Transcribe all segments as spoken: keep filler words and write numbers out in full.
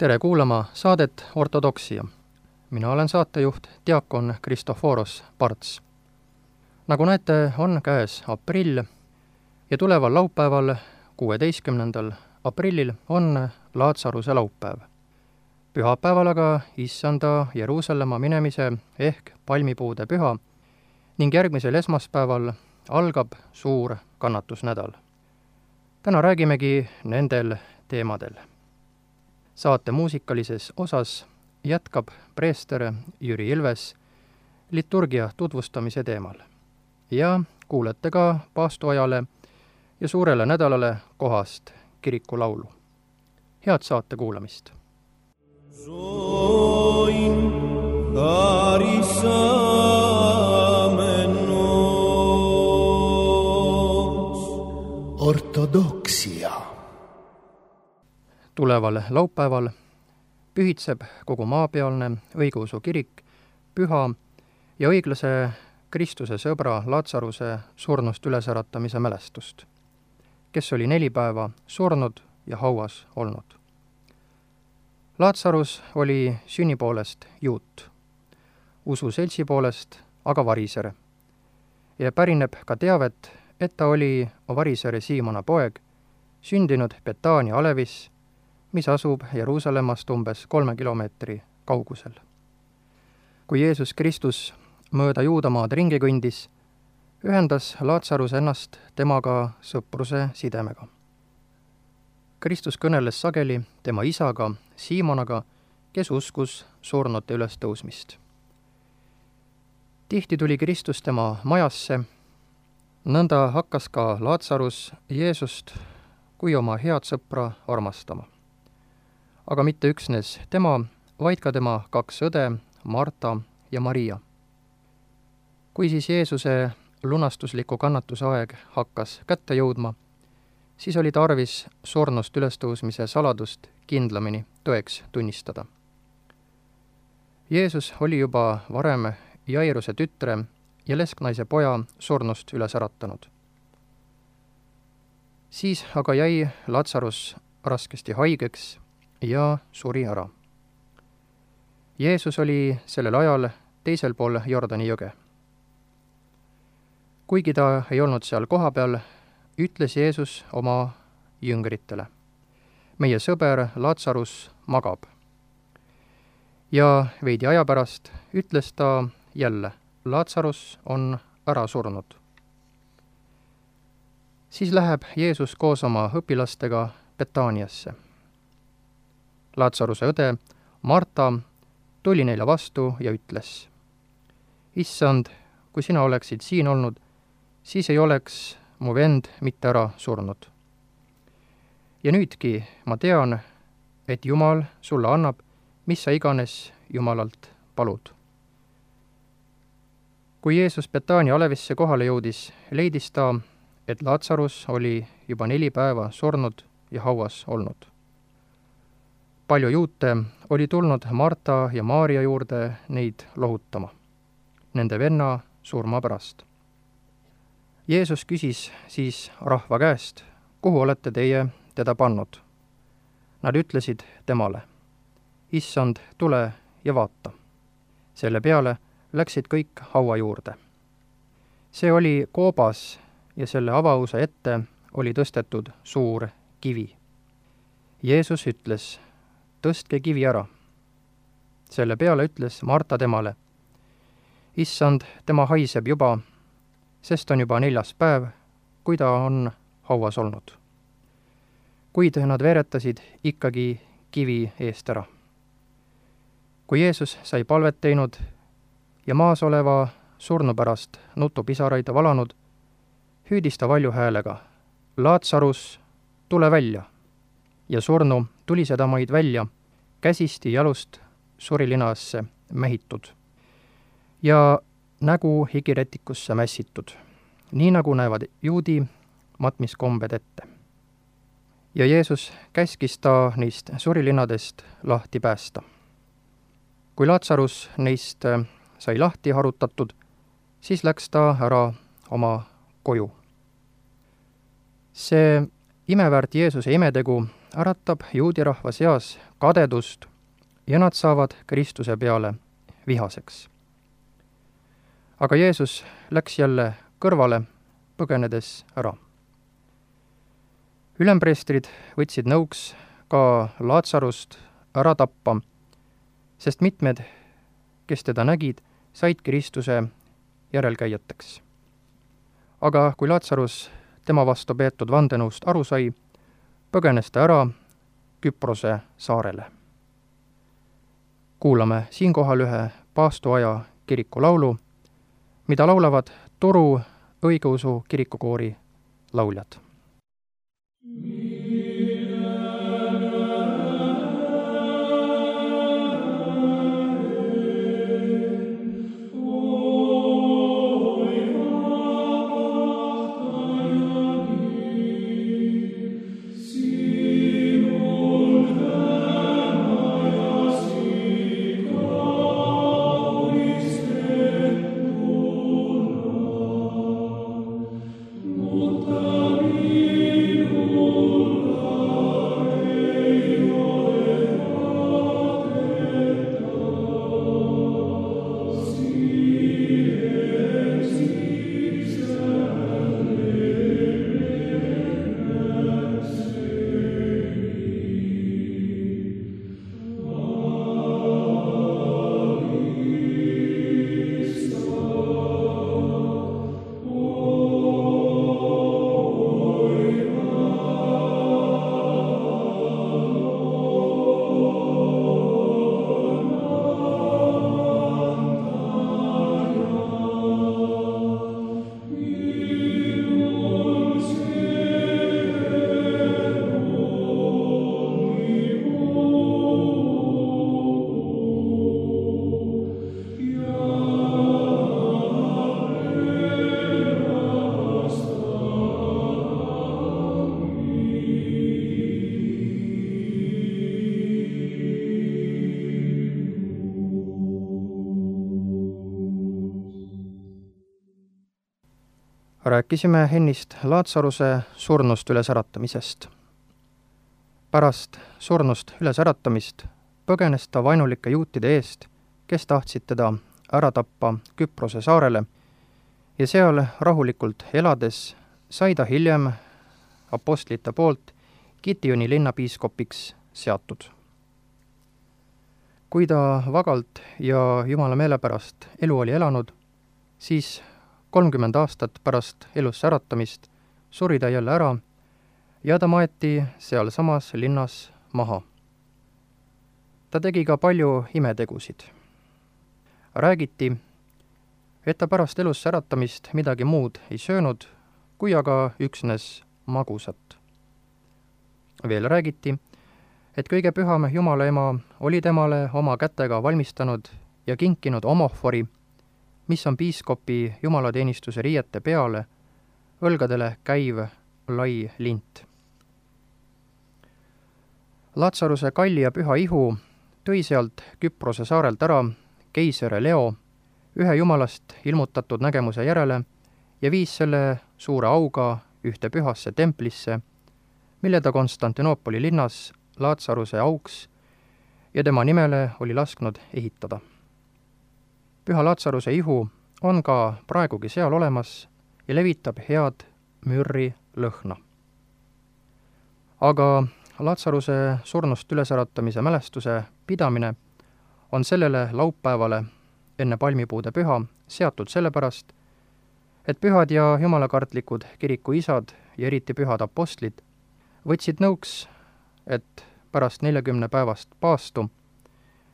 Tere kuulama saadet Ortodoksia. Mina olen saatejuht diakon Kristoforos Parts. Nagu näete, on käes aprill ja tuleval laupäeval, kuueteistkümnendal aprillil on Laatsaruse laupäev. Pühapäeval aga issanda Jeruusalemma minemise ehk palmipuude püha ning järgmisel esmaspäeval algab suur kannatusnädal. Täna räägimegi nendel teemadel. Saate muusikalises osas jätkab preester Jüri Ilves liturgia tutvustamise teemal ja kuulete ka paastuajale ja suurele nädalale kohast kirikulaulu. Head saate kuulamist! Zoin carisamenos Ortodoksia. Tuleval laupäeval pühitseb kogu maapealne õigeusu kirik püha ja õiglase Kristuse sõbra Laatsaruse surnust ülesäratamise mälestust, kes oli neli päeva surnud ja hauas olnud. Laatsarus oli sünni poolest juut, usu seltsi poolest aga variser ja pärineb ka teavet, et ta oli varisere Siimona poeg, sündinud Betaania alevis, mis asub Jeruusalemmast umbes kolme kilomeetri kaugusel. Kui Jeesus Kristus mööda Juudamaad ringi kõndis, ühendas Laatsarus ennast temaga sõpruse sidemega. Kristus kõneles sageli tema isaga, Siimonaga, kes uskus surnute ülestõusmist. Tihti tuli Kristus tema majasse, nõnda hakkas ka Laatsarus Jeesust kui oma head sõpra armastama. Aga mitte üksnes tema, vaid ka tema kaks õde, Marta ja Maria. Kui siis Jeesuse lunastusliku kannatuse aeg hakkas kätte jõudma, siis oli tarvis surnust ülestõusmise saladust kindlamini tõeks tunnistada. Jeesus oli juba varem Jairuse tütre ja lesknaise poja surnust üles äratanud. Siis aga jäi Laatsarus raskesti haigeks ja suri ära. Jeesus oli sellel ajal teisel pool Jordani jõge. Kuigi ta ei olnud seal kohapeal, ütles Jeesus oma jüngritele: meie sõber Laatsarus magab. Ja veidi aja pärast ütles ta jälle: Laatsarus on ära surnud. Siis läheb Jeesus koos oma õpilastega Betaaniasse. Laatsaruse õde Marta tuli neile vastu ja ütles: Issand, kui sina oleksid siin olnud, siis ei oleks mu vend mitte ära surnud. Ja nüüdki ma tean, et Jumal sulle annab, mis sa iganes Jumalalt palud. Kui Jeesus Betaania alevisse kohale jõudis, leidis ta, et Laatsarus oli juba neli päeva surnud ja hauas olnud. Palju juute oli tulnud Marta ja Maaria juurde neid lohutama, nende venna surma pärast. Jeesus küsis siis rahva käest: kuhu olete teie teda pannud? Nad ütlesid temale: Issand, tule ja vaata. Selle peale läksid kõik haua juurde. See oli koobas ja selle avause ette oli tõstetud suur kivi. Jeesus ütles: tõstke kivi ära. Selle peale ütles Marta temale: Issand, tema haiseb juba, sest on juba neljas päev, kui ta on hauas olnud. Kuid nad veeretasid ikkagi kivi eest ära. Kui Jeesus sai palvet teinud ja maas oleva surnu pärast nutupisaraid valanud, hüüdis ta valju häälega: Laatsarus, tule välja! Ja surnu tuli sedamaid välja, käsisti jalust surilinasse mähitud ja nägu higiretikusse mässitud, nii nagu näevad juudi matmiskombed ette. Ja Jeesus käskis ta neist surilinadest lahti päästa. Kui Laatsarus neist sai lahti harutatud, siis läks ta ära oma koju. See imeväärt Jeesuse imetegu äratab juudi rahva seas kadedust ja nad saavad Kristuse peale vihaseks. Aga Jeesus läks jälle kõrvale, põgenedes ära. Ülempreestrid võtsid nõuks ka Laatsarust ära tappa, sest mitmed, kes teda nägid, said Kristuse järelkäijateks. Aga kui Laatsarus tema vastu peetud vandenõust aru sai, põgenes ta ära Küprose saarele. Kuulame siinkohal ühe paastuaja kiriku laulu, mida laulavad Turu õigeusu kirikukoori lauljad. Rääkisime ennist Laatsaruse surnust ülesäratamisest. Pärast surnust ülesäratamist põgenes ta vaenulike juutide eest, kes tahtsid teda ära tappa Küprose saarele, ja seal rahulikult elades sai ta hiljem apostlite poolt Gitioni linnapiiskopiks seatud. Kui ta vagalt ja Jumala meele pärast elu oli elanud, siis kolmkümmend aastat pärast elusse äratamist suri ta jälle ära ja ta maeti sealsamas linnas maha. Ta tegi ka palju imetegusid. Räägiti, et ta pärast elusse äratamist midagi muud ei söönud, kui aga üksnes magusat. Veel räägiti, et kõige püham Jumala ema oli temale oma kätega valmistanud ja kinkinud omohvori, mis on piiskopi jumalateenistuse riiete peale õlgadele käiv lai lint. Laatsaruse kalli ja püha ihu tõi sealt Küprose saarelt ära keiser Leo ühe jumalast ilmutatud nägemuse järele ja viis selle suure auga ühte pühasse templisse, mille ta Konstantinoopoli linnas Laatsaruse auks ja tema nimele oli lasknud ehitada. Püha Laatsaruse ihu on ka praegugi seal olemas ja levitab head mürri lõhna. Aga Laatsaruse surnust ülesäratamise mälestuse pidamine on sellele laupäevale enne palmipuude püha seatud sellepärast, et pühad ja jumalakartlikud kirikuisad ja eriti pühad apostlid võtsid nõuks, et pärast neljakümne päevast paastu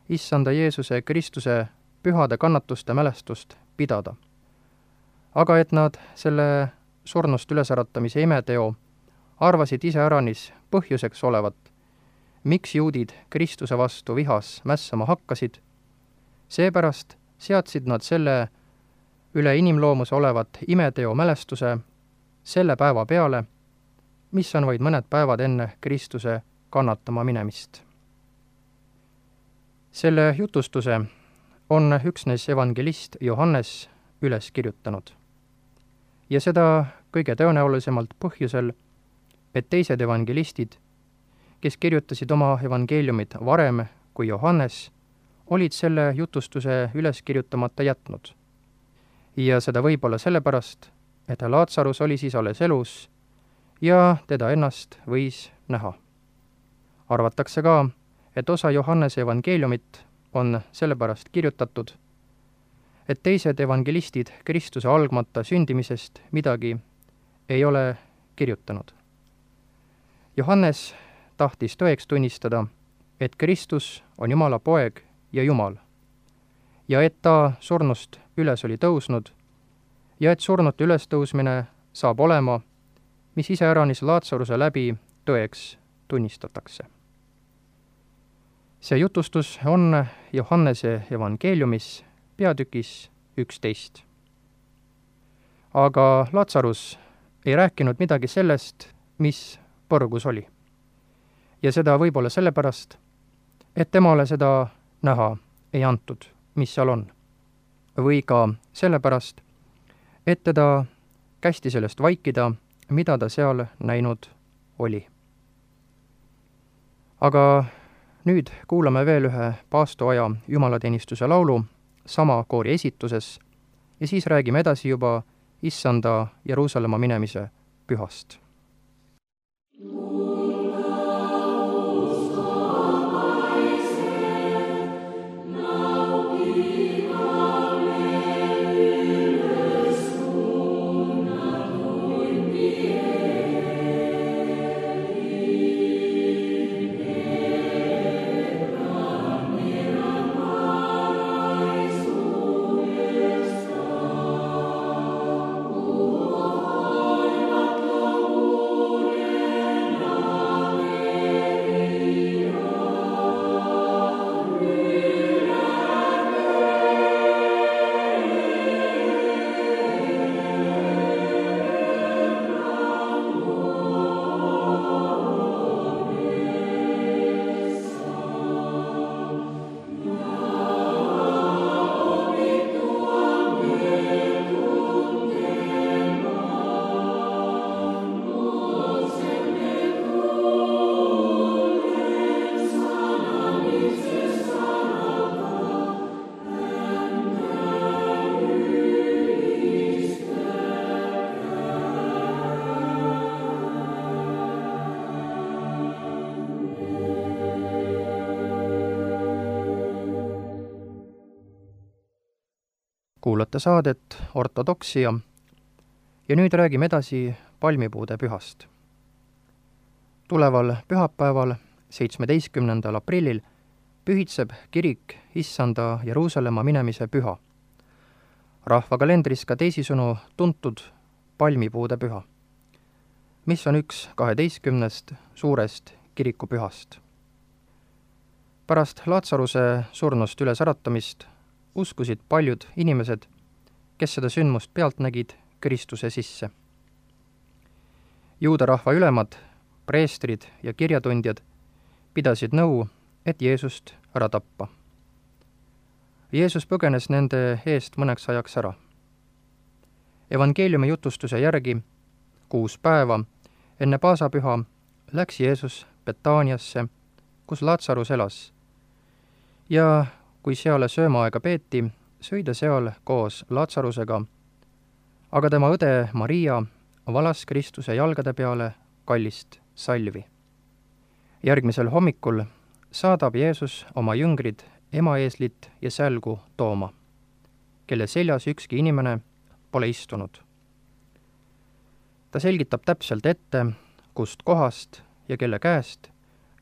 issanda Jeesuse Kristuse pühade kannatuste mälestust pidada. Aga et nad selle surnust ülesäratamise imeteo arvasid iseäranis põhjuseks olevat, miks juudid Kristuse vastu vihas mässama hakkasid, seepärast seadsid nad selle üle inimloomuse olevat imeteo mälestuse selle päeva peale, mis on vaid mõned päevad enne Kristuse kannatama minemist. Selle jutustuse on üksnes evangelist Johannes üles kirjutanud. Ja seda kõige tõenäolisemalt põhjusel, et teised evangelistid, kes kirjutasid oma evangeeliumid varem kui Johannes, olid selle jutustuse üles kirjutamata jätnud. Ja seda võib-olla sellepärast, et Laatsarus oli siis alles elus ja teda ennast võis näha. Arvatakse ka, et osa Johannese evangeeliumit on sellepärast kirjutatud, et teised evangelistid Kristuse algmata sündimisest midagi ei ole kirjutanud. Johannes tahtis tõeks tunnistada, et Kristus on Jumala poeg ja Jumal, ja et ta surnust üles oli tõusnud, ja et surnute ülestõusmine saab olema, mis iseäranis Laatsaruse läbi tõeks tunnistatakse. See jutustus on Johannese evangeeliumis peatükis üksteist. Aga Laatsarus ei rääkinud midagi sellest, mis põrgus oli. Ja seda võib-olla sellepärast, et temale seda näha ei antud, mis seal on. Või ka sellepärast, et teda kästi sellest vaikida, mida ta seal näinud oli. Aga nüüd kuulame veel ühe paastoaja jumalateenistuse laulu sama koori esituses ja siis räägime edasi juba Issanda Jeruusalemma minemise pühast. Kuulate saadet Ortodoksia ja nüüd räägime edasi palmipuude pühast. Tuleval pühapäeval, seitsmeteistkümnendal aprillil, pühitseb kirik Issanda Jeruusalemma minemise püha. Rahvakalendris ka teisisõnu tuntud palmipuude püha, mis on üks kaheteistkümnest suurest kirikupühast. Pärast Laatsaruse surnust ülesäratamist uskusid paljud inimesed, kes seda sündmust pealt nägid, Kristuse sisse. Juuda rahva ülemad, preestrid ja kirjatundjad pidasid nõu, et Jeesust ära tappa. Jeesus põgenes nende eest mõneks ajaks ära. Evangeeliumi jutustuse järgi kuus päeva enne paasapüha läks Jeesus Betaaniasse, kus Laatsarus elas, ja kui seale söömaaega peeti, sõi ta seal koos Laatsarusega, aga tema õde Maria valas Kristuse jalgade peale kallist salvi. Järgmisel hommikul saadab Jeesus oma jüngrid emaeeslit ja sälgu tooma, kelle seljas ükski inimene pole istunud. Ta selgitab täpselt ette, kust kohast ja kelle käest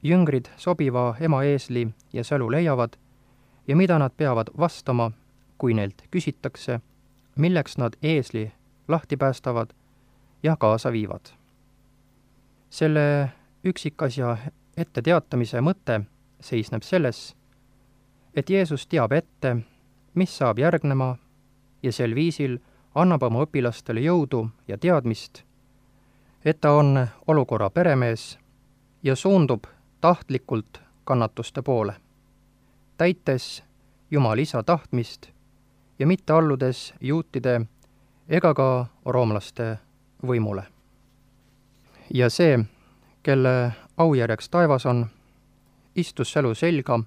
jüngrid sobiva emaeesli ja sälu leiavad ja mida nad peavad vastama, kui neilt küsitakse, milleks nad eesli lahti päästavad ja kaasa viivad. Selle üksikasja etteteatamise mõte seisneb selles, et Jeesus teab ette, mis saab järgnema ja sel viisil annab oma õpilastele jõudu ja teadmist, et ta on olukorra peremees ja suundub tahtlikult kannatuste poole, täites Jumal Isa tahtmist ja mitte alludes juutide ega ka roomlaste võimule. Ja see, kelle aujärjeks taevas on, istus sälu selga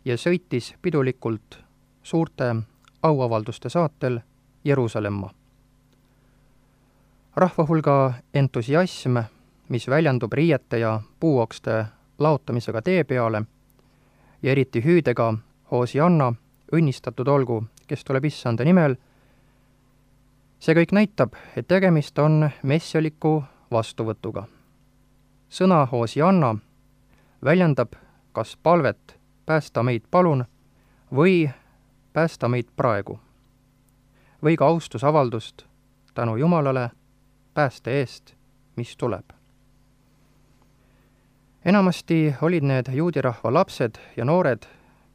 ja sõitis pidulikult suurte auavalduste saatel Jeruusalemma. Rahva hulga entusiasm, mis väljendub riiete ja puuokste laotamisega tee peale ja eriti hüüdega Hoosianna, õnnistatud olgu, kes tuleb issanda nimel, see kõik näitab, et tegemist on messialiku vastuvõtuga. Sõna Hoosianna väljendab kas palvet päästa meid palun või päästa meid praegu või ka austusavaldust tänu Jumalale pääste eest, mis tuleb. Enamasti olid need juudirahva lapsed ja noored,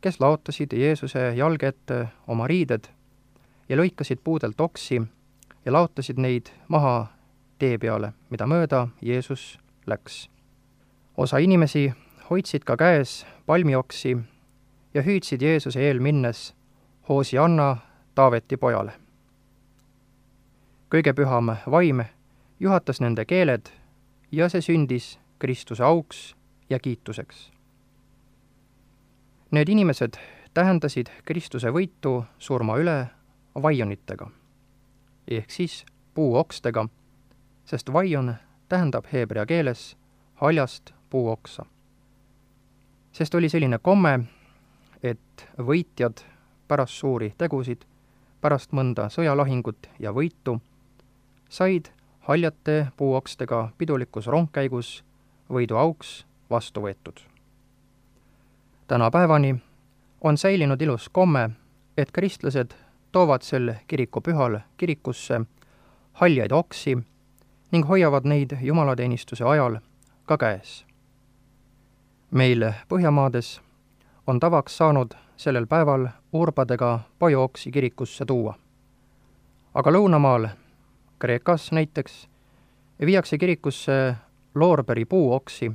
kes laotasid Jeesuse jalge ette oma riided ja lõikasid puudelt oksi ja laotasid neid maha tee peale, mida mööda Jeesus läks. Osa inimesi hoidsid ka käes palmioksi ja hüüdsid Jeesuse eel minnes Hoosianna Taaveti pojale. Kõige püham vaim juhatas nende keeled ja see sündis Kristuse auks ja kiituseks. Need inimesed tähendasid Kristuse võitu surma üle vaionitega, ehk siis puuokstega, sest vaion tähendab heebrea keeles haljast puuoksa. Sest oli selline komme, et võitjad pärast suuri tegusid, pärast mõnda sõjalahingut ja võitu, said haljate puuokstega pidulikus rongkäigus võidu auks vastu võetud. Tänapäevani on säilinud ilus komme, et kristlased toovad sel kirikupühal kirikusse haljaid oksi ning hoiavad neid jumalateenistuse ajal ka käes. Meil Põhjamaades on tavaks saanud sellel päeval urbadega pajooksi kirikusse tuua. Aga lõunamaal, Kreekas näiteks, viiakse kirikusse loorberi puuoksi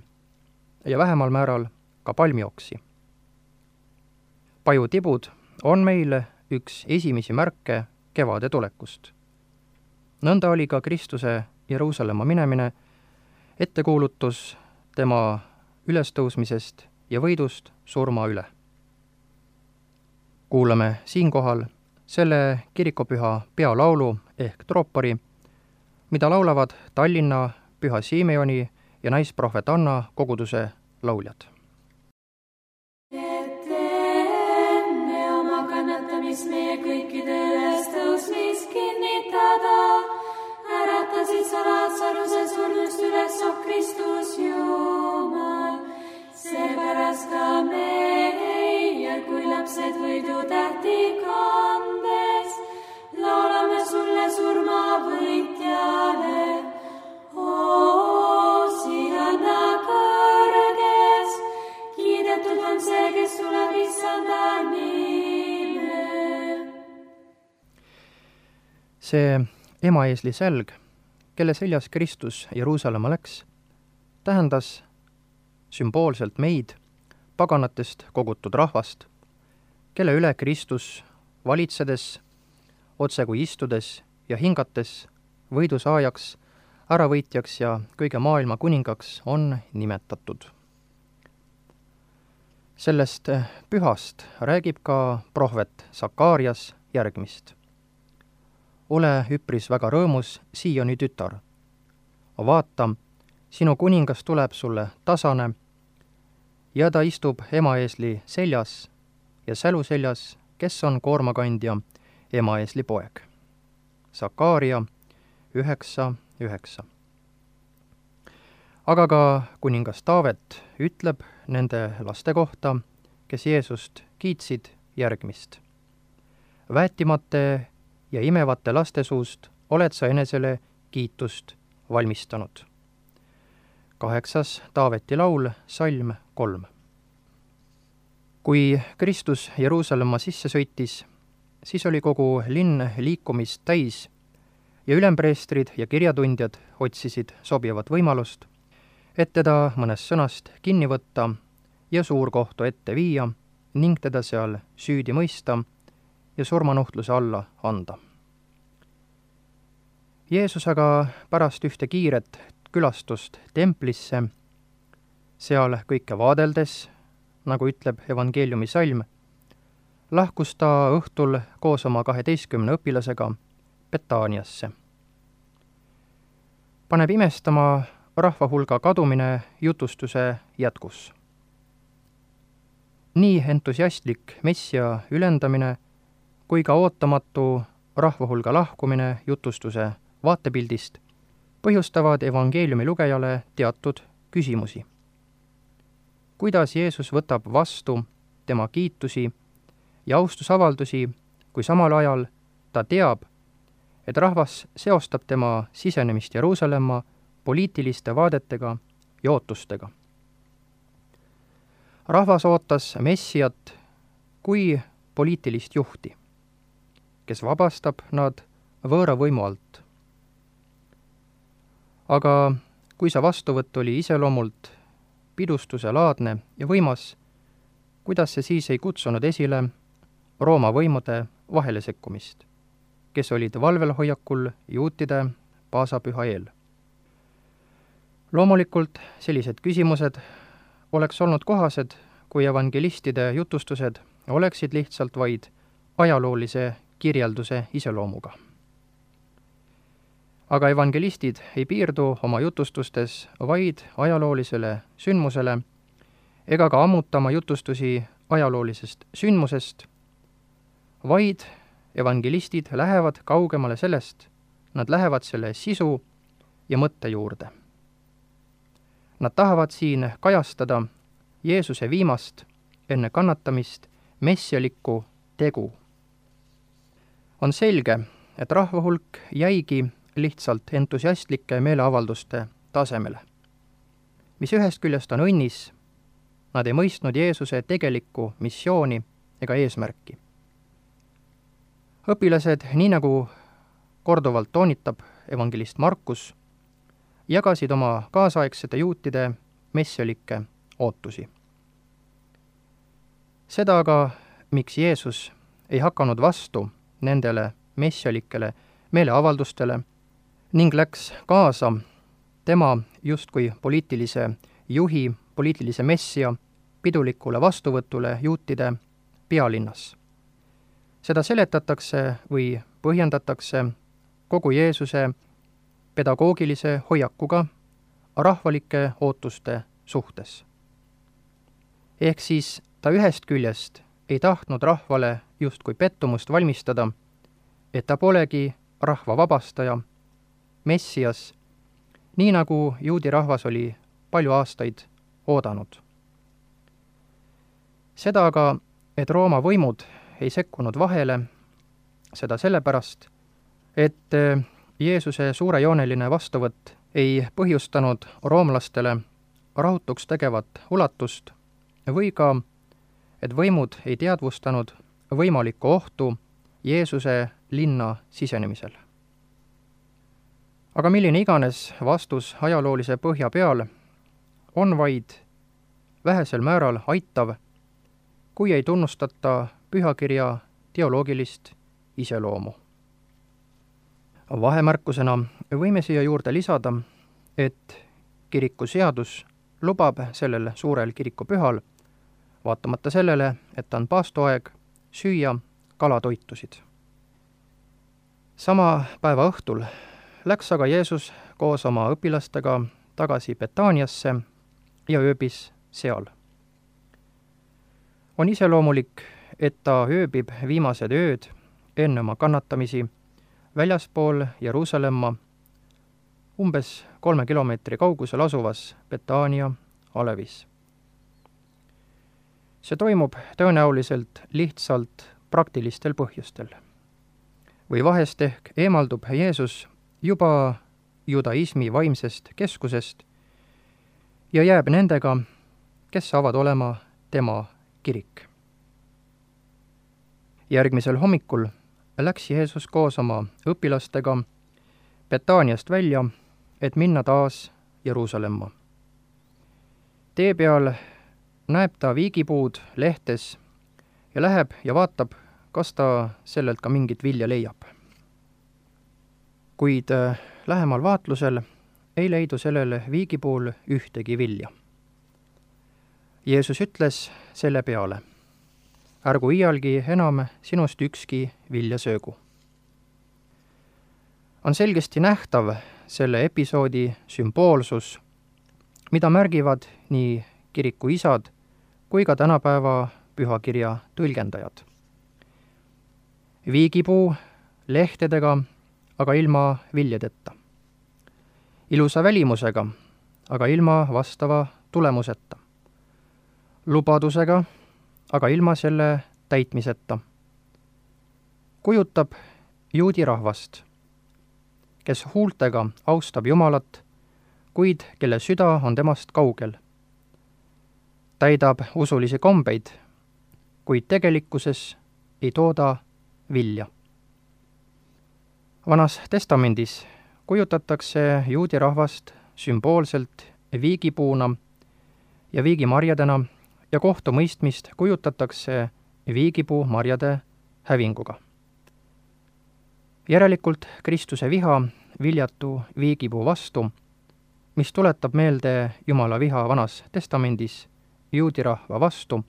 ja vähemal määral ka palmioksi. Pajutibud on meil üks esimesi märke kevade tulekust. Nõnda oli ka Kristuse Jeruusalemma minemine ettekuulutus tema ülestõusmisest ja võidust surma üle. Kuulame siinkohal selle kirikupüha pealaulu ehk troopori, mida laulavad Tallinna Püha Simeoni ja naisprohvet Anna koguduse lauljad. Et enne oma kannatamis meie kõikide ülestõusmist kinnitada, äratasid sa Laatsaruse surnust üles, oh Kristus Jumal. Seepärast ka meie, kui lapsed võidu tähti kandes, laulame sulle surma võitjale. Hoosianna kõrges, kiidetud on see, kes tuleb issanda nimel. See emaeesli sälg, kelle seljas Kristus Jeruusalemma läks, tähendas sümboolselt meid, paganatest kogutud rahvast, kelle üle Kristus valitsedes, otse kui istudes ja hingates võidusaajaks, äravõitjaks ja kõige maailma kuningaks on nimetatud. Sellest pühast räägib ka prohvet Sakaarias järgmist. Ole üpris väga rõõmus, Sioni tütar. Vaata, sinu kuningas tuleb sulle tasane ja ta istub emaeesli seljas ja sälu seljas, kes on koormakandja, emaeesli poeg. Sakaaria üheksa üheksa. Aga ka kuningas Taavet ütleb nende laste kohta, kes Jeesust kiitsid järgmist. Väetimate ja imevate laste suust oled sa enesele kiitust valmistanud. Kaheksas Taaveti laul, salm kolm. Kui Kristus Jeruusalemma sisse sõitis, siis oli kogu linn liikumist täis ja ülempreestrid ja kirjatundjad otsisid sobivat võimalust, et teda mõnest sõnast kinni võtta ja suurkohtu ette viia ning teda seal süüdi mõista ja surmanuhtluse alla anda. Jeesus aga pärast ühte kiiret külastust templisse seal kõike vaadeldes, nagu ütleb evangeeliumi salm, lahkus ta õhtul koos oma kaheteistkümne õpilasega Betaaniasse. Paneb imestama rahva hulga kadumine jutustuse jätkus. Nii entusiastlik messia ülendamine kui ka ootamatu rahva hulga lahkumine jutustuse vaatepildist põhjustavad evangeeliumi lugejale teatud küsimusi. Kuidas Jeesus võtab vastu tema kiitusi ja austusavaldusi, kui samal ajal ta teab, et rahvas seostab tema sisenemist Jeruusalemma poliitiliste vaadetega ja ootustega. Rahvas ootas messiat kui poliitilist juhti, kes vabastab nad võõra võimu alt. Aga kui see vastuvõtt oli iseloomult pidustuse laadne ja võimas, kuidas see siis ei kutsunud esile Rooma võimude vahele sekkumist, kes olid valvelhoiakul juutide paasapüha eel. Loomulikult sellised küsimused oleks olnud kohased, kui evangelistide jutustused oleksid lihtsalt vaid ajaloolise kirjelduse iseloomuga. Aga evangelistid ei piirdu oma jutustustes vaid ajaloolisele sündmusele ega ka ammutama jutustusi ajaloolisest sündmusest, vaid evangelistid lähevad kaugemale sellest, nad lähevad selle sisu ja mõtte juurde. Nad tahavad siin kajastada Jeesuse viimast enne kannatamist messialikku tegu. On selge, et rahva hulk jäigi lihtsalt entusiastlike meeleavalduste tasemele, mis ühest küljest on õnnis, nad ei mõistnud Jeesuse tegelikku missiooni ega eesmärki. Õpilased, nii nagu korduvalt toonitab evangelist Markus, jagasid oma kaasaegsete juutide messialikke ootusi. Seda aga, miks Jeesus ei hakanud vastu nendele messialikele meeleavaldustele ning läks kaasa tema justkui poliitilise juhi, poliitilise messia pidulikule vastuvõtule juutide pealinnas. Seda seletatakse või põhjendatakse kogu Jeesuse pedagoogilise hoiakuga rahvalike ootuste suhtes. Ehk siis ta ühest küljest ei tahtnud rahvale justkui pettumust valmistada, et ta polegi rahva vabastaja, messias, nii nagu juudi rahvas oli palju aastaid oodanud. Seda aga, et Rooma võimud ei sekkunud vahele, seda sellepärast, et Jeesuse suurejooneline vastuvõtt ei põhjustanud roomlastele rahutuks tegevat ulatust või ka, et võimud ei teadvustanud võimalikku ohtu Jeesuse linna sisenemisel. Aga milline iganes vastus ajaloolise põhja peal on vaid vähesel määral aitav, kui ei tunnustata pühakirja teoloogilist iseloomu. Vahemärkusena võime siia juurde lisada, et kirikuseadus lubab sellel suurel kirikupühal, vaatamata sellele, et on paastoaeg, süüa kalatoitusid. Sama päeva õhtul läks aga Jeesus koos oma õpilastega tagasi Betaaniasse ja ööbis seal. On iseloomulik, et ta ööbib viimased ööd enne oma kannatamisi väljaspool Jeruusalemma umbes kolme kilomeetri kaugusel asuvas Betaania alevis. See toimub tõenäoliselt lihtsalt praktilistel põhjustel. Või vahest ehk eemaldub Jeesus juba judaismi vaimsest keskusest ja jääb nendega, kes saavad olema tema kirik. Järgmisel hommikul läks Jeesus koos oma õpilastega Betaaniast välja, et minna taas Jeruusalemma. Tee peal näeb ta viigipuud lehtes ja läheb ja vaatab, kas ta sellelt ka mingit vilja leiab. Kuid lähemal vaatlusel ei leidu sellel viigipuul ühtegi vilja. Jeesus ütles selle peale: ärgu iialgi enam sinust ükski vilja söögu. On selgesti nähtav selle episoodi sümboolsus, mida märgivad nii kiriku isad kui ka tänapäeva pühakirja tõlgendajad. Viigipuu lehtedega, aga ilma viljadeta. Ilusa välimusega, aga ilma vastava tulemuseta. Lubadusega, aga ilma selle täitmiseta. Kujutab juudi rahvast, kes huultega austab Jumalat, kuid kelle süda on temast kaugel. Täidab usulisi kombeid, kuid tegelikkuses ei tooda vilja. Vanas testamendis kujutatakse juudi rahvast sümboolselt viigipuuna ja viigimarjadena ja kohtumõistmist kujutatakse viigipuu marjade hävinguga. Järelikult Kristuse viha viljatu viigipuu vastu, mis tuletab meelde Jumala viha vanas testamendis juudi rahva vastu,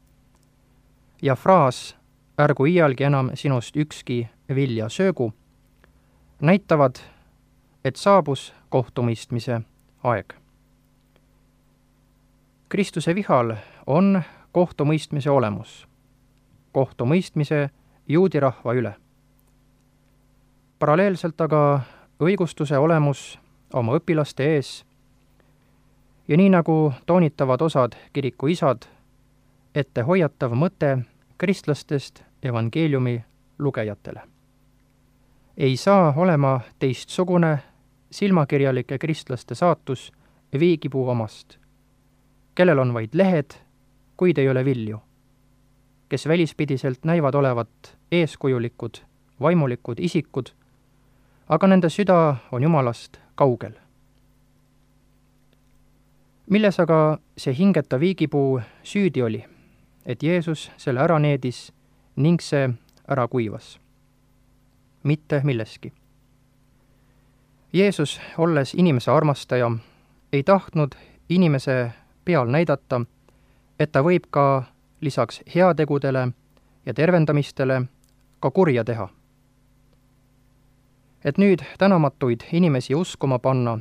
ja fraas ärgu iialgi enam sinust ükski vilja söögu, näitavad, et saabus kohtumõistmise aeg. Kristuse vihal on kohtumõistmise olemus, kohtumõistmise juudi rahva üle. Paralleelselt aga õigustuse olemus oma õpilaste ees ja nii nagu toonitavad osad kiriku isad, ette hoiatav mõte kristlastest evangeeliumi lugejatele. Ei saa olema teistsugune silmakirjalike kristlaste saatus viigipuu omast, kellel on vaid lehed, kuid ei ole vilju, kes välispidiselt näivad olevat eeskujulikud, vaimulikud isikud, aga nende süda on Jumalast kaugel. Milles aga see hingeta viigipuu süüdi oli, et Jeesus selle ära needis ning see ära kuivas? Mitte milleski. Jeesus, olles inimese armastaja, ei tahtnud inimese peal näidata, et ta võib ka lisaks heategudele ja tervendamistele ka kurja teha. Et nüüd tänamatuid inimesi uskuma panna,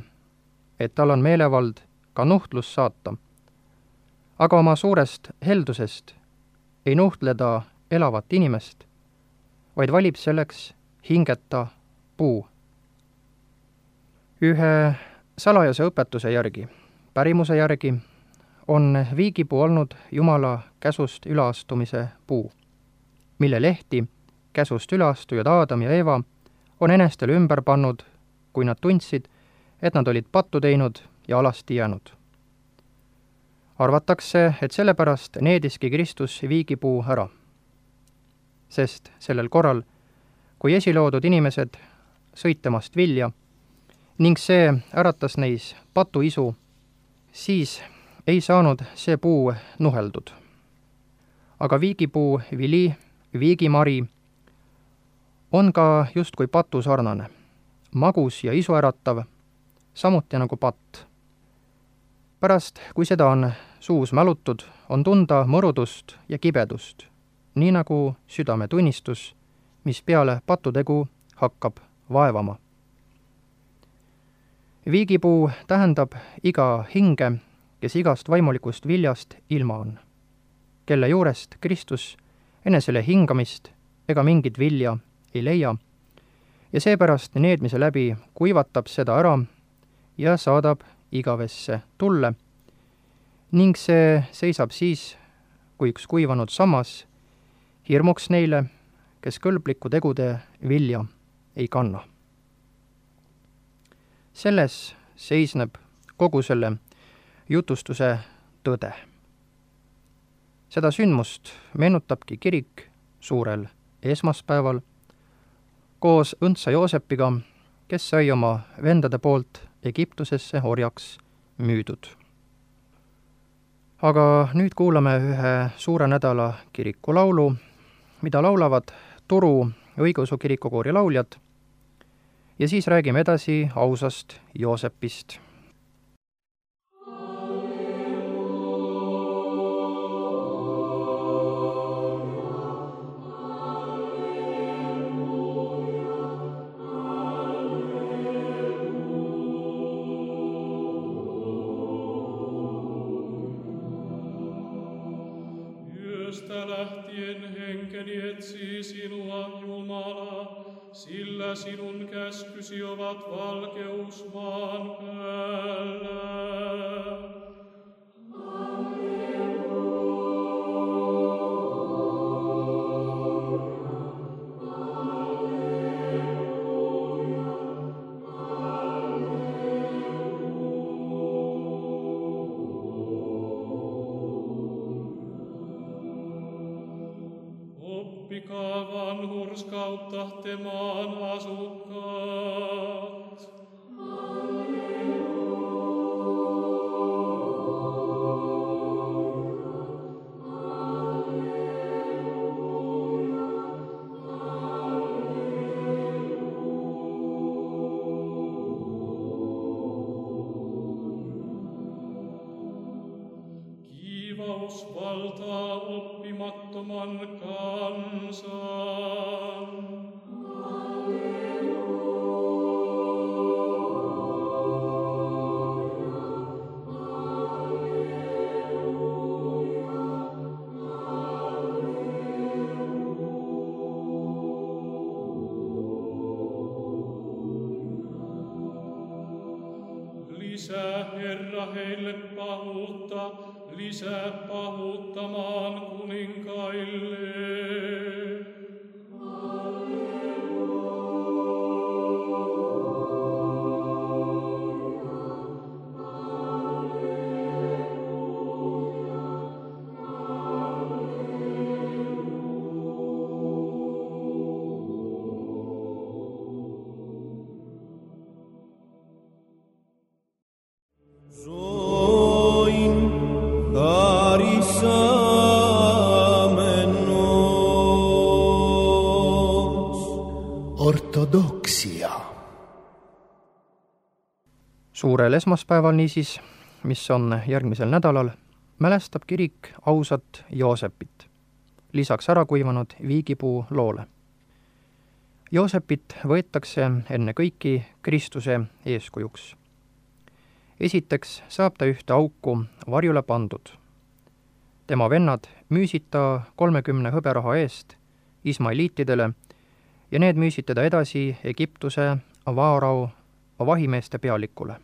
et tal on meelevald ka nuhtlus saata, aga oma suurest heldusest ei nuhtleda elavat inimest, vaid valib selleks hingeta puu. Ühe salajase õpetuse järgi, pärimuse järgi, on viigipuu olnud Jumala käsust üleastumise puu, mille lehti käsust üleastujad Aadam ja Eeva on enestele ümber pannud, kui nad tundsid, et nad olid pattu teinud ja alasti jäänud. Arvatakse, et sellepärast neediski Kristus viigipuu ära, sest sellel korral, kui esiloodud inimesed sõid temast vilja ning see äratas neis patuisu, siis ei saanud see puu nuheldud. Aga viigipuu vili, viigimari, on ka justkui patu sarnane, magus ja isu äratav, samuti nagu patt. Pärast, kui seda on suus mälutud, on tunda mõrudust ja kibedust, nii nagu südametunnistus, mis peale patutegu hakkab vaevama. Viigipuu tähendab iga hinge, kes igast vaimulikust viljast ilma on, kelle juurest Kristus enesele hingamist ega mingit vilja ei leia ja seepärast needmise läbi kuivatab seda ära ja saadab igavesse tulle ning see seisab siis, kui üks kuivanud sammas hirmuks neile, kes kõlbliku tegude vilja ei kanna. Selles seisneb kogu selle jutustuse tõde. Seda sündmust meenutabki kirik suurel esmaspäeval koos õndsa Joosepiga, kes sai oma vendade poolt Egiptusesse orjaks müüdud. Aga nüüd kuulame ühe suure nädala kirikulaulu, mida laulavad Turu õigeusu kirikukoori lauljad, ja siis räägime edasi ausast Joosepist. etsi sinua, Jumala, sillä sinun käskysi ovat valkeus maan päällä. Oppikaa vanhurskautta te maan asukkaat. Kiivaus valtaa oppimattoman kansan. Lisää, Herra, heille pahuutta, lisää pahuutta maan kuninkaille. Zoin arisamenos. Ortodoksia. Suurel esmaspäeval niisiis, mis on järgmisel nädalal, mälestab kirik ausat Joosepit, lisaks ära kuivanud viigipuu loole. Joosepit võetakse enne kõiki Kristuse eeskujuks. Esiteks saab ta ühte auku varjule pandud. Tema vennad müüsid ta kolmekümne hõberaha eest ismailiitidele ja need müüsid teda edasi Egiptuse Vaarao vahimeeste pealikule.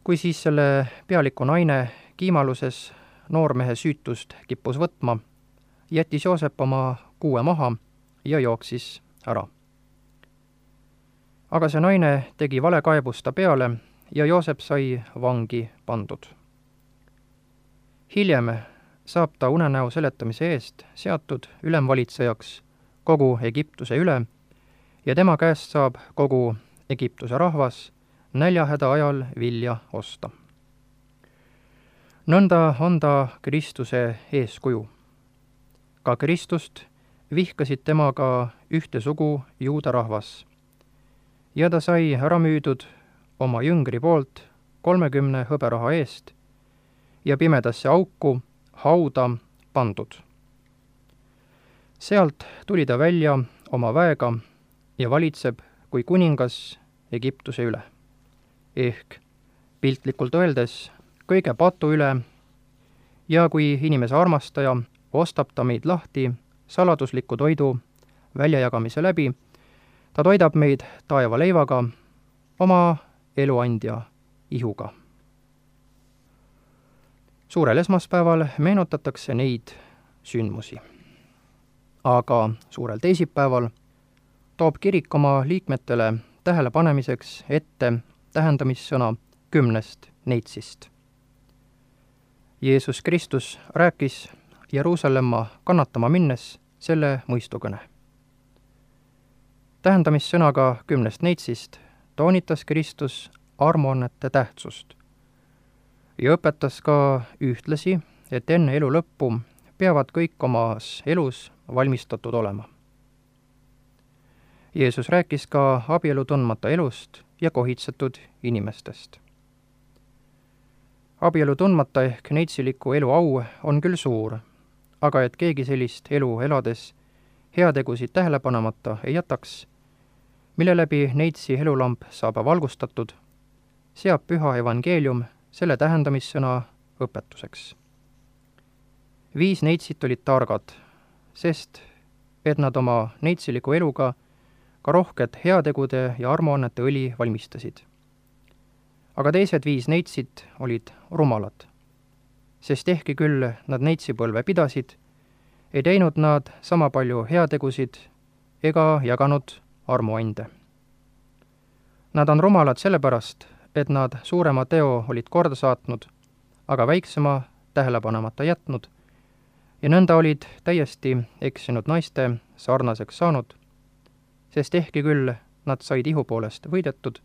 Kui siis selle pealiku naine kiimaluses noormehe süütust kippus võtma, jättis Joosep oma kuue maha ja jooksis ära. Aga see naine tegi valekaebust ta peale ja Joosep sai vangi pandud. Hiljem saab ta unenäo seletamise eest seatud ülemvalitsejaks kogu Egiptuse üle ja tema käest saab kogu Egiptuse rahvas näljahäda ajal vilja osta. Nõnda on ta Kristuse eeskuju. Ka Kristust vihkasid temaga ühte sugu juuda rahvas ja ta sai ära müüdud oma jüngri poolt kolmekümne hõberaha eest ja pimedasse auku hauda pandud. Sealt tuli ta välja oma väega ja valitseb kui kuningas Egiptuse üle. Ehk piltlikult öeldes kõige patu üle ja kui inimese armastaja ostab ta meid lahti saladusliku toidu väljajagamise läbi, ta toidab meid taevaleivaga, oma eluandja ihuga. Suurel esmaspäeval meenutatakse neid sündmusi. Aga suurel teisipäeval toob kirik oma liikmetele tähelepanemiseks ette tähendamissõna kümnest neitsist. Jeesus Kristus rääkis Jeruusalemma kannatama minnes selle mõistukõne. Tähendamissõnaga kümnest neitsist toonitas Kristus armuannete tähtsust ja õpetas ka ühtlasi, et enne elu lõppu peavad kõik omas elus valmistatud olema. Jeesus rääkis ka abielu tundmata elust ja kohitsetud inimestest. Abielu tundmata ehk neitsiliku elu au on küll suur, aga et keegi sellist elu elades heategusid tähele panemata ei jätaks, mille läbi neitsi elulamp saab valgustatud, seab püha evangeelium selle tähendamissõna õpetuseks. Viis neitsit olid targad, sest et nad oma neitsiliku eluga ka rohket heategude ja armuannete õli valmistasid. Aga teised viis neitsit olid rumalad, sest ehkki küll nad neitsipõlve pidasid, ei teinud nad sama palju heategusid ega jaganud armuande. Nad on rumalad sellepärast, et nad suurema teo olid korda saatnud, aga väiksema tähelepanemata jätnud, ja nõnda olid täiesti eksinud naiste sarnaseks saanud, sest ehkki küll nad said ihu poolest võidetud,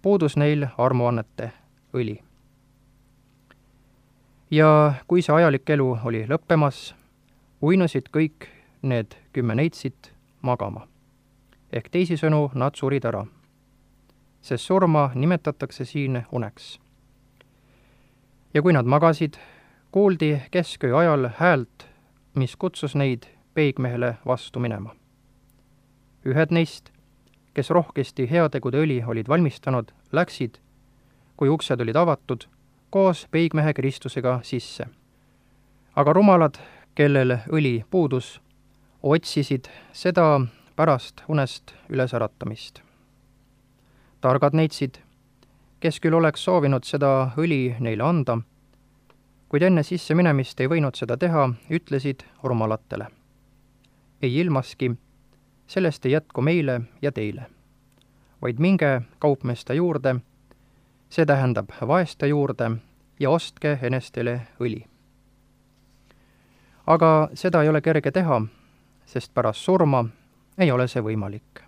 puudus neil armuannete õli. Ja kui see ajalik elu oli lõppemas, uinusid kõik need kümme neitsit magama. Ehk teisisõnu nad surid ära, sest surma nimetatakse siin uneks. Ja kui nad magasid, kuuldi kesköö ajal häält, mis kutsus neid peigmehele vastu minema. Ühed neist, kes rohkesti heategude õli olid valmistanud, läksid, kui uksed olid avatud, koos peigmehe Kristusega sisse. Aga rumalad, kellel õli puudus, otsisid seda pärast unest ülesäratamist. Targad neitsid, kes küll oleks soovinud seda õli neile anda, kuid enne sisse minemist ei võinud seda teha, ütlesid rumalatele. Ei ilmaski, sellest ei jätku meile ja teile, vaid minge kaupmeeste juurde, see tähendab vaeste juurde, ja ostke enestele õli. Aga seda ei ole kerge teha, sest pärast surma ei ole see võimalik.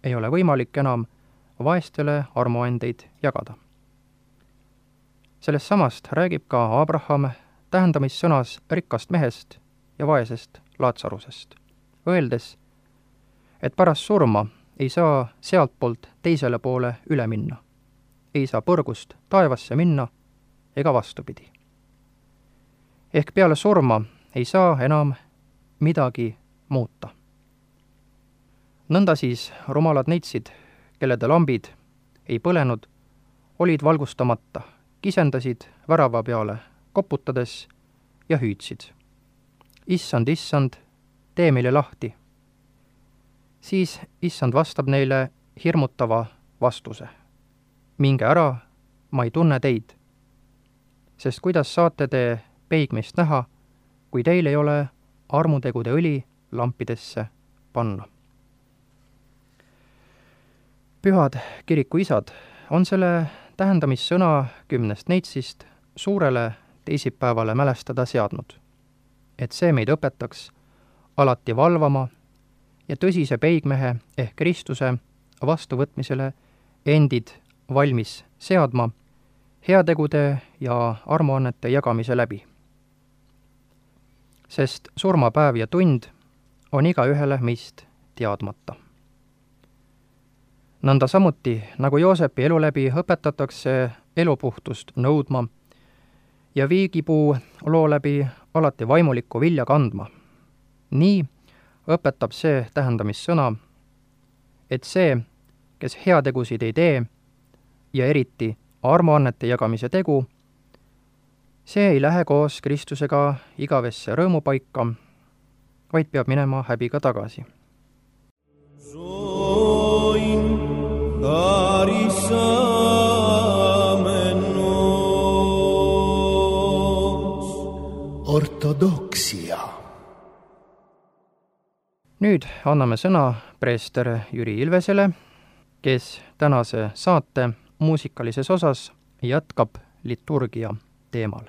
Ei ole võimalik enam vaestele armuandeid jagada. Sellest samast räägib ka Abraham tähendamissõnas rikkast mehest ja vaesest Laatsarusest, öeldes, et pärast surma ei saa sealtpoolt teisele poole üle minna, ei saa põrgust taevasse minna ega vastupidi. Ehk peale surma ei saa enam midagi muuta. Nõnda siis rumalad neitsid, kellede lambid ei põlenud, olid valgustamata, kisendasid värava peale koputades ja hüüdsid. Issand, issand, tee meile lahti. Siis issand vastab neile hirmutava vastuse. Minge ära, ma ei tunne teid. Sest kuidas saate te peigmeist näha, kui teil ei ole armutegude õli lampidesse panna? Pühad kirikuisad on selle tähendamissõna kümnest neitsist suurele teisipäevale mälestada seadnud, et see meid õpetaks alati valvama ja tõsise peigmehe ehk Kristuse vastuvõtmisele endid valmis seadma heategude ja armuannete jagamise läbi. Sest surmapäev ja tund on igaühele meist teadmata. Nõnda samuti, nagu Joosepi elu läbi õpetatakse elupuhtust nõudma ja viigipuu loo läbi alati vaimulikku vilja kandma. Nii õpetab see tähendamissõna, et see, kes heategusid ei tee ja eriti armuannete jagamise tegu, see ei lähe koos Kristusega igavesse rõõmupaika, vaid peab minema häbiga tagasi. Ortodoksia. Nüüd anname sõna preester Jüri Ilvesele, kes tänase saate muusikalises osas jätkab liturgia teemal.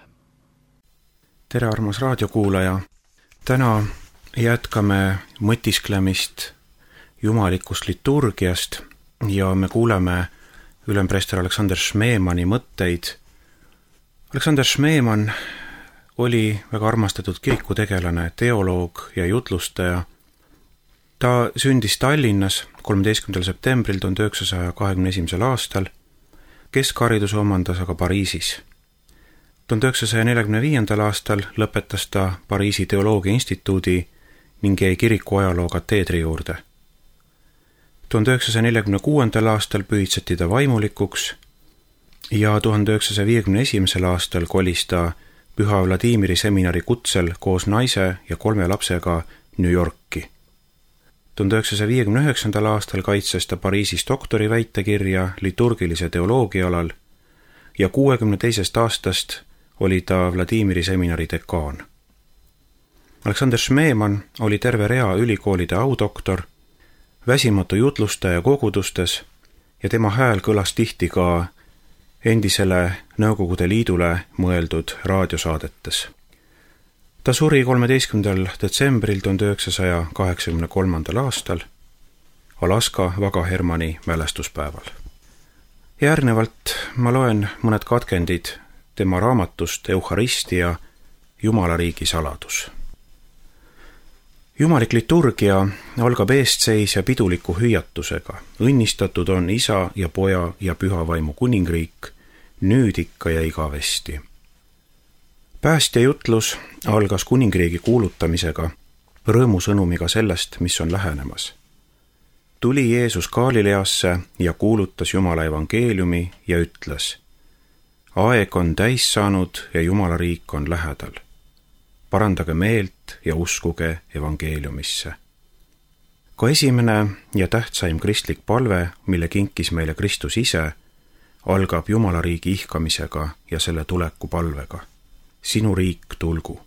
Tere, armas raadiokuulaja! Täna jätkame mõtisklemist jumalikust liturgiast ja me kuuleme ülempreester Aleksander Šmeemani mõtteid. Aleksander Šmeeman oli väga armastatud kirikutegelane, teoloog ja jutlustaja. Ta sündis Tallinnas kolmeteistkümnendal septembril tuhande üheksasaja kahekümne esimesel aastal, keskhariduse omandas aga Pariisis. tuhande üheksasaja neljakümne viiendal aastal lõpetas ta Pariisi teoloogia instituudi ning jäi kiriku ajaloo kateedri juurde. tuhande üheksasaja neljakümne kuuendal aastal pühitseti ta vaimulikuks ja tuhande üheksasaja viiekümne esimesel aastal kolis ta Püha Vladimiri seminari kutsel koos naise ja kolme lapsega New Yorki. tuhande üheksasaja viiekümne üheksandal aastal kaitses ta Pariisis doktori väitekirja liturgilise teoloogia alal ja kuuekümne teisest aastast oli ta Vladimiri seminari dekaan. Aleksander Šmeeman oli terve rea ülikoolide audoktor, väsimatu jutlustaja kogudustes ja tema hääl kõlas tihti ka endisele Nõukogude Liidule mõeldud raadiosaadetes. Ta suri kolmeteistkümnendal detsembril tuhande üheksasaja kaheksakümne kolmandal aastal Alaska Vaga Hermanni mälestuspäeval. Järgnevalt ma loen mõned katkendid tema raamatust Eucharistia, Jumalariigi saladus. Jumalik liturgia algab eestseisja piduliku hüüatusega. Õnnistatud on Isa ja Poja ja Püha Vaimu kuningriik, nüüd ikka ja igavesti. Päästja jutlus algas kuningriigi kuulutamisega, rõõmusõnumiga sellest, mis on lähenemas. Tuli Jeesus Galileasse ja kuulutas Jumala evangeeliumi ja ütles: aeg on täis saanud ja Jumala riik on lähedal. Parandage meelt ja uskuge evangeeliumisse. Ka esimene ja tähtsaim kristlik palve, mille kinkis meile Kristus ise, algab Jumala riigi ihkamisega ja selle tuleku palvega. Sinu riik tulgu.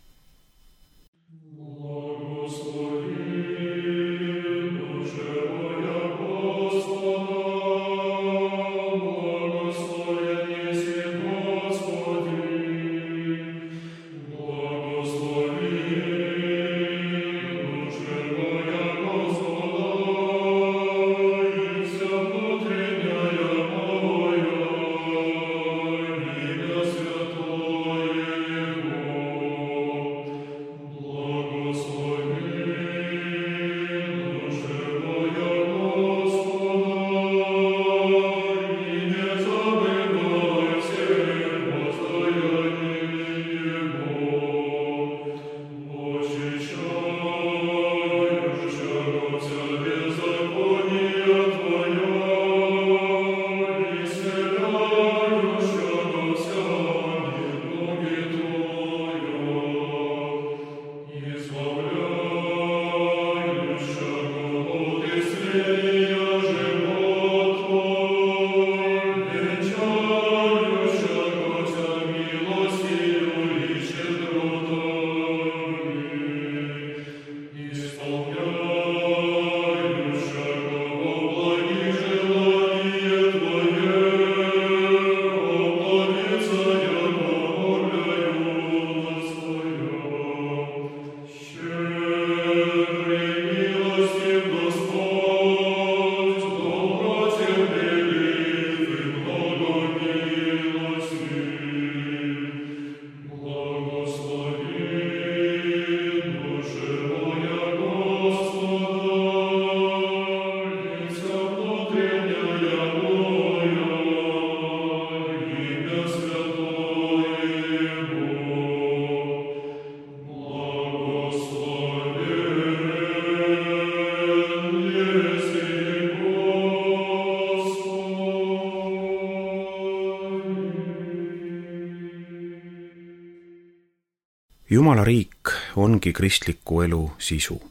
Jumala riik ongi kristliku elu sisu.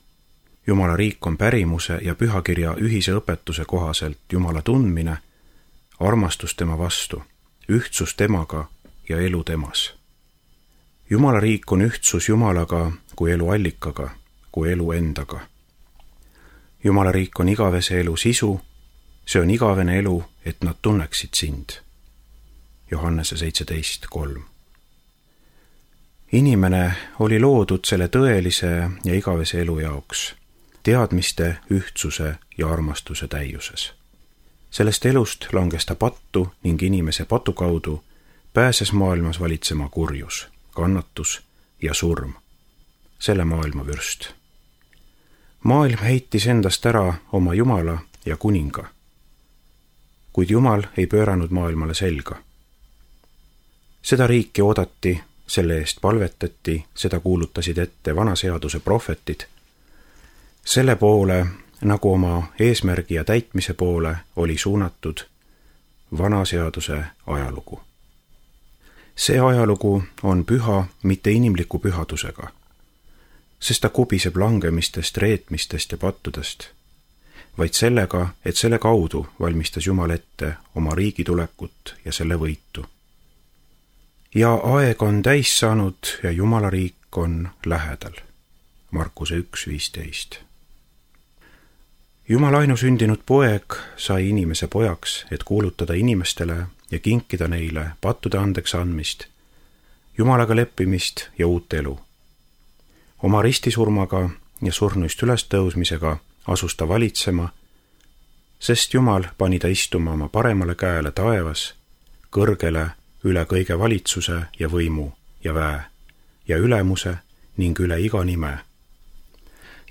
Jumala riik on pärimuse ja pühakirja ühise õpetuse kohaselt Jumala tundmine, armastus tema vastu, ühtsus temaga ja elu temas. Jumala riik on ühtsus Jumalaga kui elu allikaga, kui elu endaga. Jumala riik on igavese elu sisu, see on igavene elu, et nad tunneksid sind. Johannese seitseteist kolm. Inimene oli loodud selle tõelise ja igavese elu jaoks, teadmiste, ühtsuse ja armastuse täiuses. Sellest elust langes ta pattu ning inimese patu kaudu pääses maailmas valitsema kurjus, kannatus ja surm, selle maailma vürst. Maailm heitis endast ära oma Jumala ja kuninga, kuid Jumal ei pööranud maailmale selga. Seda riiki oodati, selle eest palvetati, seda kuulutasid ette vanaseaduse prohvetid. Selle poole, nagu oma eesmärgi ja täitmise poole, oli suunatud vanaseaduse ajalugu. see ajalugu on püha mitte inimliku pühadusega, sest ta kubiseb langemistest, reetmistest ja pattudest, vaid sellega, et selle kaudu valmistas Jumal ette oma riigi tulekut ja selle võitu. Ja aeg on täis saanud ja Jumala riik on lähedal. Markuse üks viisteist. Jumala ainusündinud poeg sai inimese pojaks, et kuulutada inimestele ja kinkida neile pattude andeks andmist, Jumalaga leppimist ja uut elu. Oma ristisurmaga ja surnuist ülestõusmisega asus ta valitsema, sest Jumal pani ta istuma oma paremale käele taevas, kõrgele üle kõige valitsuse ja võimu ja väe ja ülemuse ning üle iga nime.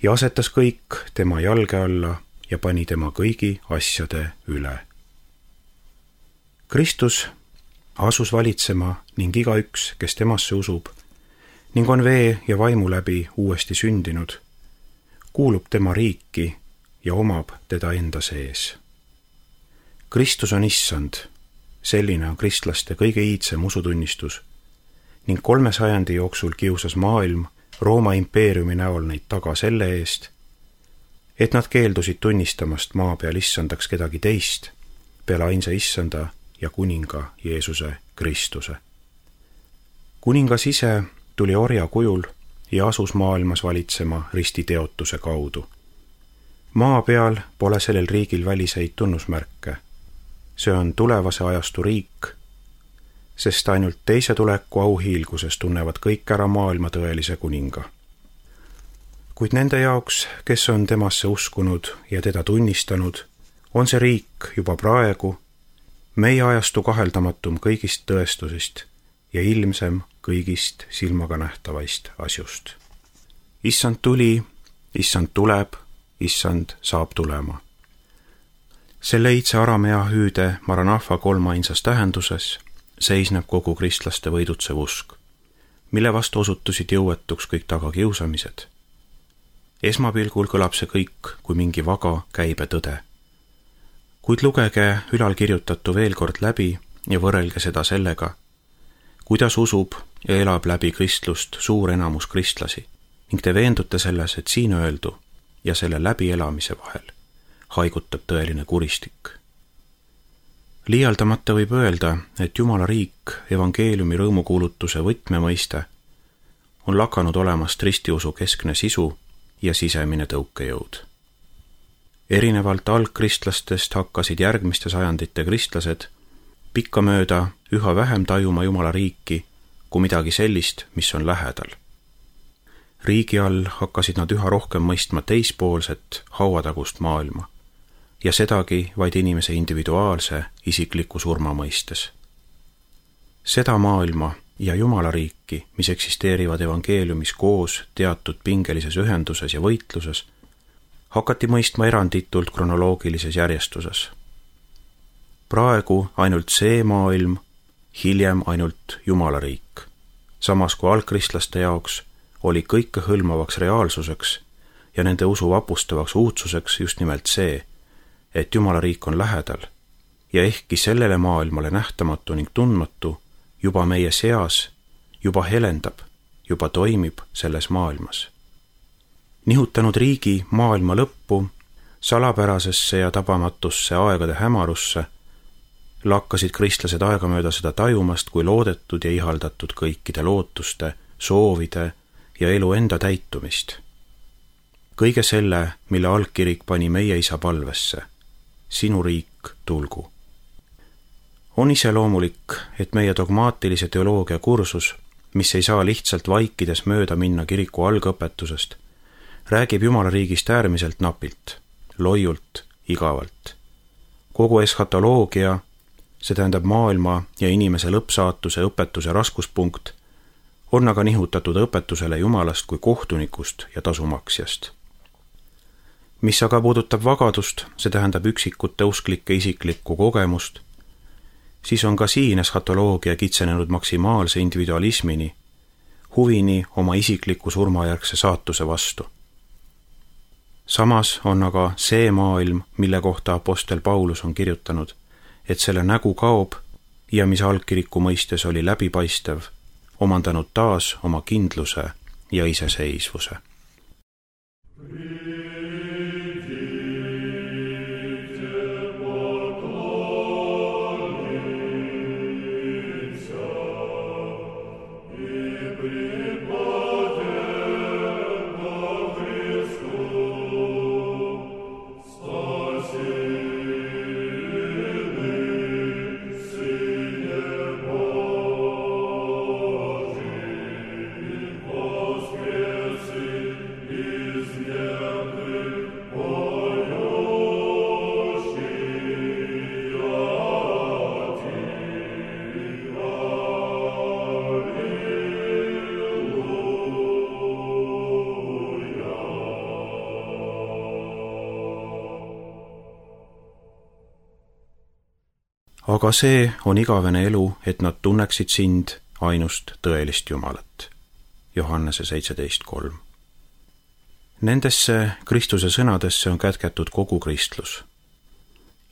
Ja asetas kõik tema jalge alla ja pani tema kõigi asjade üle. Kristus asus valitsema ning igaüks, kes temasse usub ning on vee ja vaimu läbi uuesti sündinud, kuulub tema riiki ja omab teda enda sees. Kristus on issand, selline on kristlaste kõige iidsem usutunnistus ning kolme sajandi jooksul kiusas maailm Rooma impeeriumi näol neid taga selle eest, et nad keeldusid tunnistamast maa peal issandaks kedagi teist peale ainsa issanda ja kuninga Jeesuse Kristuse. Kuningas ise tuli orja kujul ja asus maailmas valitsema ristiteotuse kaudu. Maa peal pole sellel riigil väliseid tunnusmärke. See on tulevase ajastu riik, sest ainult teise tuleku auhiilguses tunnevad kõik ära maailma tõelise kuninga. Kuid nende jaoks, kes on temasse uskunud ja teda tunnistanud, on see riik juba praegu meie ajastu kaheldamatum kõigist tõestusist ja ilmsem kõigist silmaga nähtavaist asjust. Issand tuli, issand tuleb, issand saab tulema. Selle iidse aramea hüüde Maranahva kolmainsas tähenduses seisneb kogu kristlaste võidutsev usk, mille vastu osutusid jõuetuks kõik tagakiusamised. Esmapilgul kõlab see kõik kui mingi vaga käibe tõde. Kuid lugege ülalkirjutatu veel kord läbi ja võrrelge seda sellega, kuidas usub ja elab läbi kristlust suur enamus kristlasi ning te veendute selles, et siin öeldu ja selle läbielamise vahel haigutab tõeline kuristik. Liialdamata võib öelda, et Jumala riik, evangeeliumi rõõmukuulutuse võtmemõiste, on lakanud olemast ristiusu keskne sisu ja sisemine tõukejõud. Erinevalt algkristlastest hakkasid järgmiste sajandite kristlased pikkamööda üha vähem tajuma Jumala riiki kui midagi sellist, mis on lähedal. Riigi all hakkasid nad üha rohkem mõistma teispoolset hauatagust maailma ja sedagi vaid inimese individuaalse isikliku surma mõistes. Seda maailma ja Jumala riiki, mis eksisteerivad evangeeliumis koos teatud pingelises ühenduses ja võitluses, hakati mõistma eranditult kronoloogilises järjestuses. Praegu ainult see maailm, hiljem ainult Jumala riik, samas kui algkristlaste jaoks oli kõikehõlmavaks reaalsuseks ja nende usu vapustavaks uudsuseks just nimelt see, et Jumala riik on lähedal ja ehkki sellele maailmale nähtamatu ning tundmatu juba meie seas, juba helendab, juba toimib selles maailmas. Nihutanud riigi maailma lõppu, salapärasesse ja tabamatusse aegade hämarusse, lakkasid kristlased aegamööda seda tajumast kui loodetud ja ihaldatud kõikide lootuste, soovide ja elu enda täitumist. Kõige selle, mille algkirik pani meie isa palvesse, sinu riik tulgu. On iseloomulik, et meie dogmaatilise teoloogia kursus, mis ei saa lihtsalt vaikides mööda minna kiriku algõpetusest, räägib Jumala riigist äärmiselt napilt, loiult, igavalt. Kogu eschatoloogia, see tähendab maailma ja inimese lõppsaatuse õpetuse raskuspunkt, on aga nihutatud õpetusele Jumalast kui kohtunikust ja tasumaksjast. Mis aga puudutab vagadust, see tähendab üksikute usklike isiklikku kogemust, siis on ka siin eschatoloogia kitsenenud maksimaalse individualismini, huvini oma isikliku surmajärgse saatuse vastu. Samas on aga see maailm, mille kohta apostel Paulus on kirjutanud, et selle nägu kaob ja mis algkiriku mõistes oli läbipaistev, omandanud taas oma kindluse ja iseseisvuse. Aga see on igavene elu, et nad tunneksid sind, ainust tõelist Jumalat. Johannese seitseteist kolm. Nendesse Kristuse sõnadesse on kätketud kogu kristlus.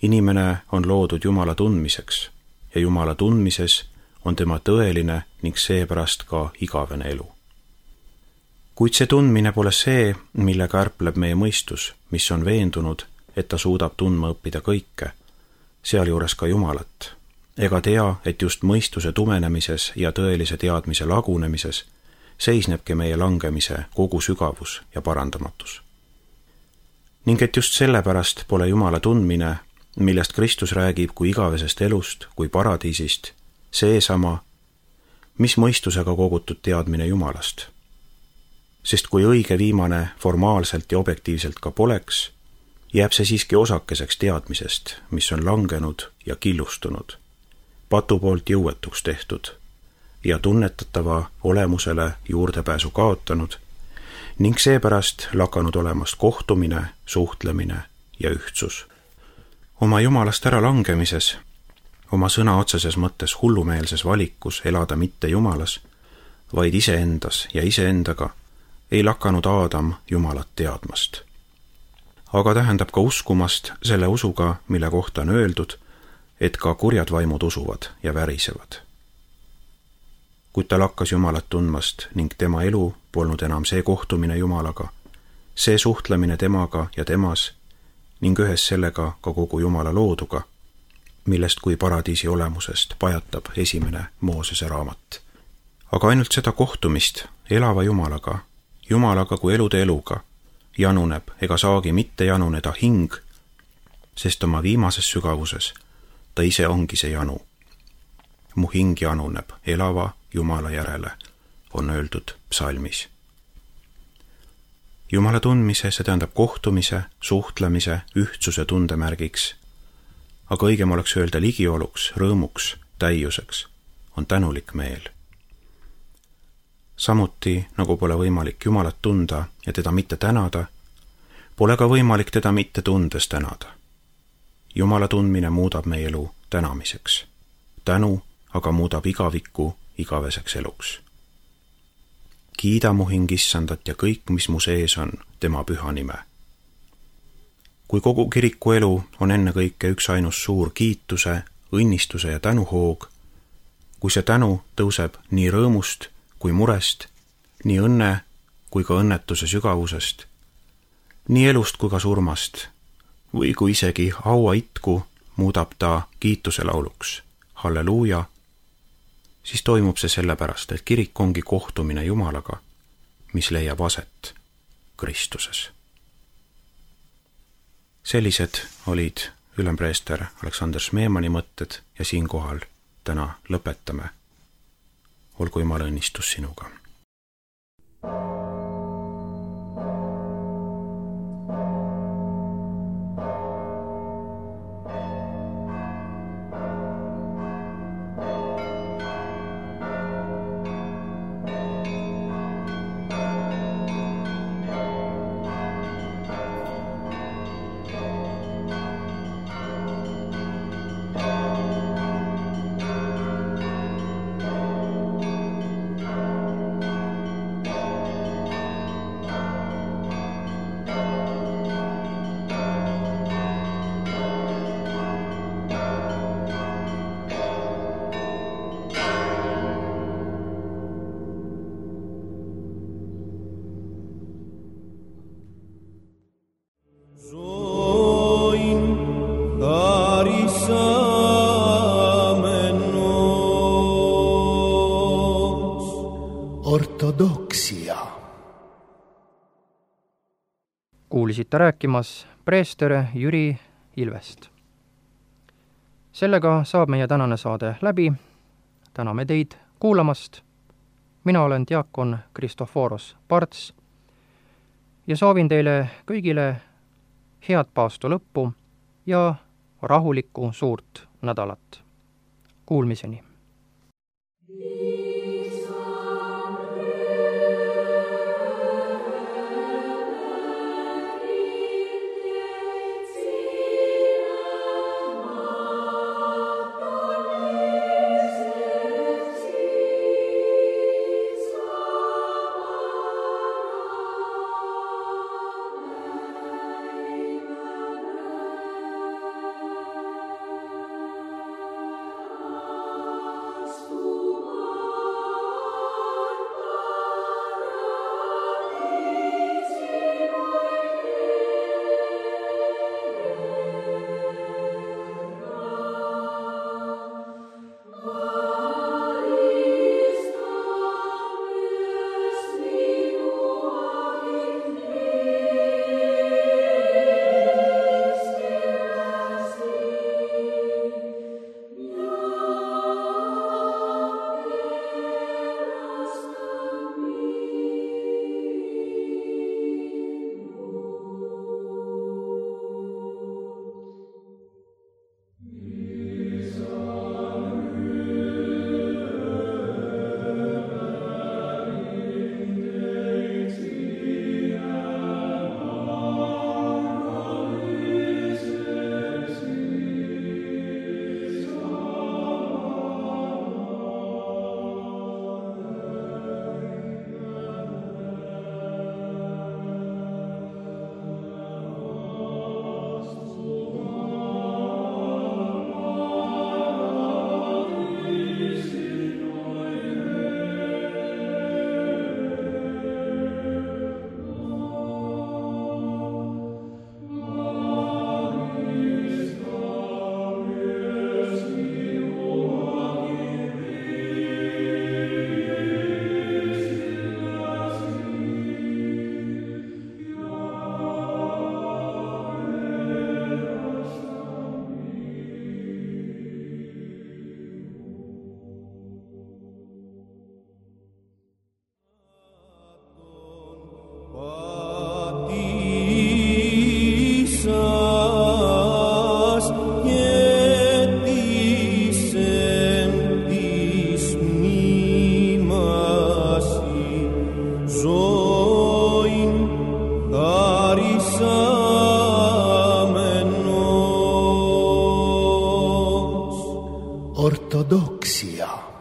Inimene on loodud Jumala tundmiseks ja Jumala tundmises on tema tõeline ning seepärast ka igavene elu. Kuid see tundmine pole see, millega ärpleb meie mõistus, mis on veendunud, et ta suudab tundma õppida kõike, sealjuures ka Jumalat, ega tea, et just mõistuse tumenemises ja tõelise teadmise lagunemises seisnebki meie langemise kogu sügavus ja parandamatus. Ning et just sellepärast pole Jumala tundmine, millest Kristus räägib kui igavesest elust, kui paradiisist, seesama, mis mõistusega kogutud teadmine Jumalast. Sest kui õige viimane formaalselt ja objektiivselt ka poleks, jääb see siiski osakeseks teadmisest, mis on langenud ja killustunud, patu poolt jõuetuks tehtud ja tunnetatava olemusele juurdepääsu kaotanud ning seepärast lakanud olemast kohtumine, suhtlemine ja ühtsus. Oma Jumalast ära langemises, oma sõna otseses mõttes hullumeelses valikus elada mitte Jumalas, vaid iseendas ja iseendaga, ei lakanud Aadam Jumalat teadmast. Aga tähendab ka uskumast selle usuga, mille kohta on öeldud, et ka kurjad vaimud usuvad ja värisevad. Kuid ta lakkas Jumalat tundmast ning tema elu polnud enam see kohtumine Jumalaga, see suhtlemine temaga ja temas ning ühes sellega ka kogu Jumala looduga, millest kui paradiisi olemusest pajatab esimene Moosese raamat. Aga ainult seda kohtumist elava Jumalaga, Jumalaga kui elude eluga, januneb ega saagi mitte januneda hing, sest oma viimases sügavuses ta ise ongi see janu. Mu hing januneb elava Jumala järele, on öeldud psalmis. Jumala tundmise, see tähendab kohtumise, suhtlemise, ühtsuse tundemärgiks, aga õigem oleks öelda ligioluks, rõõmuks, täiuseks, on tänulik meel. Samuti, nagu pole võimalik Jumalat tunda ja teda mitte tänada, pole ka võimalik teda mitte tundes tänada. Jumala tundmine muudab meie elu tänamiseks. Tänu aga muudab igavikku igaveseks eluks. Kiida mu hing Issandat ja kõik, mis mu sees on, tema püha nime. Kui kogu kiriku elu on ennekõike üks ainus suur kiituse, õnnistuse ja tänuhoog, kui see tänu tõuseb nii rõõmust kui murest, nii õnne kui ka õnnetuse sügavusest, nii elust kui ka surmast, või kui isegi haua itku muudab ta kiituse lauluks, halleluuja, siis toimub see sellepärast, et kirik ongi kohtumine Jumalaga, mis leiab aset Kristuses. Sellised olid ülempreester Aleksander Smeemani mõtted ja siinkohal täna lõpetame. Olgu Jumala õnnistus sinuga. kuulisite rääkimas preester Jüri Ilvest. Sellega saab meie tänane saade läbi. Täname teid kuulamast. Mina olen diakon Kristoforos Parts ja soovin teile kõigile head paastu lõppu ja rahulikku suurt nädalat. Kuulmiseni! Ortodoksia.